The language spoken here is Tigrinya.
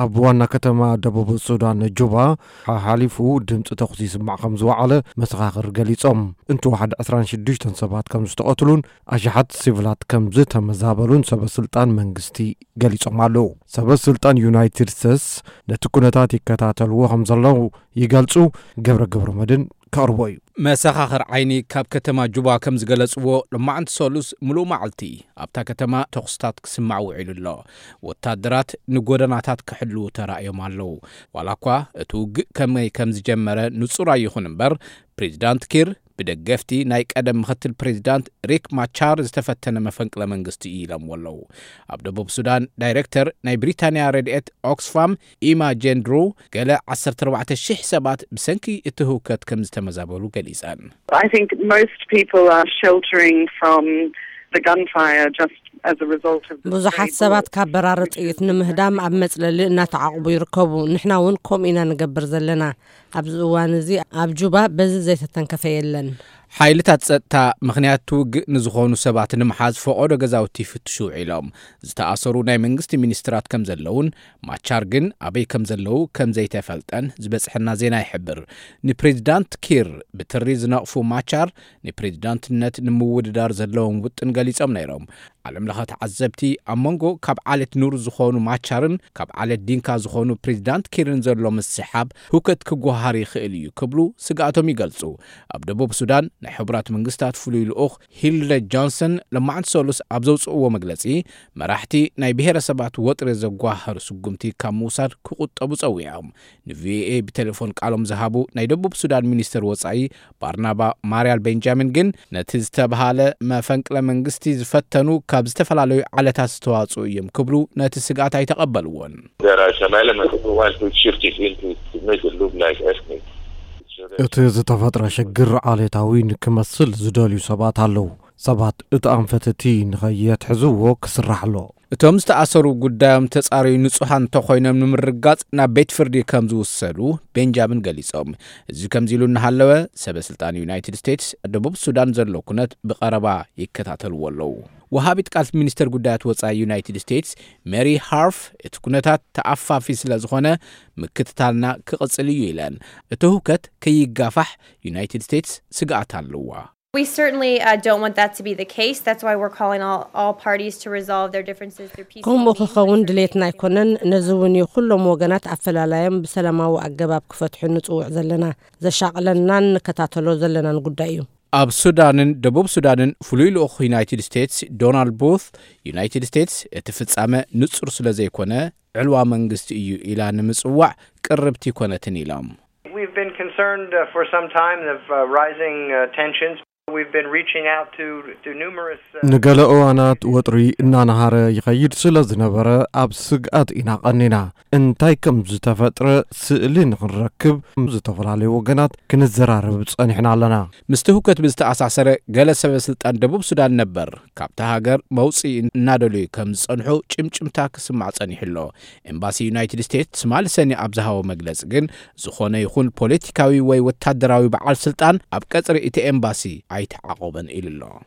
ኣብ ዋና ከተማ ደቡብ ሱዳን ጁባ ሓሓሊፉ ድምፂ ተኹሲ ይስማዕ ከም ዝወዓለ መሰኻኽር ገሊጾም። እንተወሓደ ዕስራን ሽዱሽተን ሰባት ከም ዝተቐትሉን ኣሽሓት ሲቪላት ከም ዝተመዛበሉን ሰበ ስልጣን መንግስቲ ገሊጾም ኣለዉ። ሰበ ስልጣን ዩናይትድ ስቴትስ ነቲ ኩነታት ይከታተልዎ ከም ዘለዉ ይገልጹ። ገብረ ገብረ መድን ከቕርቦ እዩ። መሰኻኽር ዓይኒ ካብ ከተማ ጁባ ከም ዝገለጽዎ፣ ሎማዕንቲ ሰሉስ ምሉእ መዓልቲ ኣብታ ከተማ ተኹስታት ክስማዕ ውዒሉ ኣሎ። ወታደራት ንጎደናታት ክሕልዉ ተራእዮም ኣለዉ። ዋላ እኳ እቲ ውግእ ከመይ ከም ዝጀመረ ንጹር ኣይኹን እምበር፣ ፕሬዚዳንት ኪር ብደገፍቲ ናይ ቀደም ምኽትል ፕሬዚዳንት ሪክ ማቻር ዝተፈተነ መፈንቅለ መንግስቲ እዩ ኢሎምዎ ኣለዉ። ኣብ ደቡብ ሱዳን ዳይሬክተር ናይ ብሪታንያ ረድኤት ኦክስፋም ኢማ ጄን ድሩ፣ ገለ ዓሰርተ ኣርባዕተ ሽሕ ሰባት ብሰንኪ እቲ ህውከት ከም ዝተመዛበሉ ገሊጸን። I think most people are sheltering from the gunfire just as a result of the ብዙሓት ሰባት ካብ በራሪ ጥይት ንምህዳም ኣብ መጽለሊ እናተዓቕቡ ይርከቡ። ንሕና እውን ከምኡ ኢና ንገብር ዘለና። ኣብዚ እዋን እዚ ኣብ ጁባ በዚ ዘይተተንከፈ የለን። ሓይልታት ጸጥታ ምኽንያት ውግእ ንዝኾኑ ሰባት ንምሓዝ ፈቐዶ ገዛውቲ ይፍትሹ ውዒሎም። ዝተኣሰሩ ናይ መንግስቲ ሚኒስትራት ከም ዘለውን ማቻር ግን ኣበይ ከም ዘለዉ ከም ዘይተፈልጠን ዝበጽሐና ዜና ይሕብር። ንፕሬዚዳንት ኪር ብትሪ ዝነቕፉ ማቻር ንፕሬዚዳንትነት ንምውድዳር ዘለዎም ውጥን ገሊጾም ነይሮም። ዓለም ለኸ ተዓዘብቲ ኣብ መንጎ ካብ ዓሌት ኑር ዝኾኑ ማቻርን ካብ ዓሌት ዲንካ ዝኾኑ ፕሬዚዳንት ኪርን ዘሎ ምስሓብ ህውከት ክጓሃር ይኽእል እዩ ክብሉ ስግኣቶም ይገልጹ። ኣብ ደቡብ ሱዳን ናይ ሕቡራት መንግስታት ፍሉይ ልኡኽ ሂልደ ጆንሰን ለማዕንቲ ሰሉስ ኣብ ዘውፅእዎ መግለፂ፣ መራሕቲ ናይ ብሄረሰባት ወጥሪ ዘጓሃሩ ስጉምቲ ካብ ምውሳድ ክቁጠቡ ጸዊዖም። ንቪኦኤ ብቴሌፎን ቃሎም ዝሃቡ ናይ ደቡብ ሱዳን ሚኒስትር ወፃኢ ባርናባ ማርያል ቤንጃሚን ግን፣ ነቲ ዝተብሃለ መፈንቅለ መንግስቲ ዝፈተኑ ካብ ዝተፈላለዩ ዓለታት ዝተዋፅኡ እዮም ክብሉ ነቲ ስግኣት ኣይተቐበልዎን። There are some elements who want to shift it into to make it look like ethnic. እቲ ዝተፈጥረ ሽግር ዓሌታዊ ንክመስል ዝደልዩ ሰባት ኣለዉ። ሰባት እቲ ኣንፈት እቲ ንኸየትሕዝዎ ክስራሕ ኣሎ። እቶም ዝተኣሰሩ ጉዳዮም ተጻርዩ ንጹሃን እንተኾይኖም ንምርጋጽ ናብ ቤት ፍርዲ ከም ዝውሰዱ ቤንጃሚን ገሊጾም። እዚ ከምዚ ኢሉ እናሃለወ፣ ሰበ ስልጣን ዩናይትድ ስቴትስ ደቡብ ሱዳን ዘሎ ኩነት ብቐረባ ይከታተልዎ ኣለዉ። ወሃቢት ቃል ሚኒስተር ጉዳያት ወጻኢ ዩናይትድ ስቴትስ ሜሪ ሃርፍ፣ እቲ ኩነታት ተኣፋፊ ስለ ዝኾነ ምክትታልና ክቕጽል እዩ ኢለን። እቲ ህውከት ከይጋፋሕ ዩናይትድ ስቴትስ ስግኣት ኣለዋ። We certainly uh, don't want that to be the case. That's why we're calling all, all parties to resolve their differences through peaceful ከምኡ means. ክኸውን ድሌትና ኣይኮነን። ነዚ እውን እዩ ኩሎም ወገናት ኣፈላላዮም ብሰላማዊ ኣገባብ ክፈትሑ ንጽውዕ ዘለና። ዘሻቕለናን ንከታተሎ ዘለናን ጉዳይ እዩ። ኣብ ሱዳንን ደቡብ ሱዳንን ፍሉይ ልኡኽ ዩናይትድ ስቴትስ ዶናልድ ቡት፣ ዩናይትድ ስቴትስ እቲ ፍጻመ ንጹር ስለ ዘይኮነ ዕልዋ መንግስቲ እዩ ኢላ ንምጽዋዕ ቅርብቲ ኣይኮነትን ኢሎም። We've been concerned uh, for some time of uh, rising uh, tensions. We've been reaching out to, to numerous. Uh, ንገለ እዋናት ወጥሪ እናነሃረ ይኸይድ ስለ ዝነበረ ኣብ ስግኣት ኢና ቀኒና። እንታይ ከም ዝተፈጥረ ስእሊ ንኽንረክብ ምስ ዝተፈላለዩ ወገናት ክንዘራረብ ጸኒሕና ኣለና። ምስቲ ህውከት ብዝተኣሳሰረ፣ ገለ ሰበ ስልጣን ደቡብ ሱዳን ነበር ካብታ ሃገር መውጽኢ እናደለዩ ከም ዝጸንሑ ጭምጭምታ ክስማዕ ጸኒሑ ኣሎ። ኤምባሲ ዩናይትድ ስቴትስ ትማሊ ሰኒ ኣብ ዝሃቦ መግለጺ ግን፣ ዝኾነ ይኹን ፖለቲካዊ ወይ ወታደራዊ በዓል ስልጣን ኣብ ቀጽሪ እቲ ኤምባሲ ኣይተዓቖበን ኢሉ ኣሎ።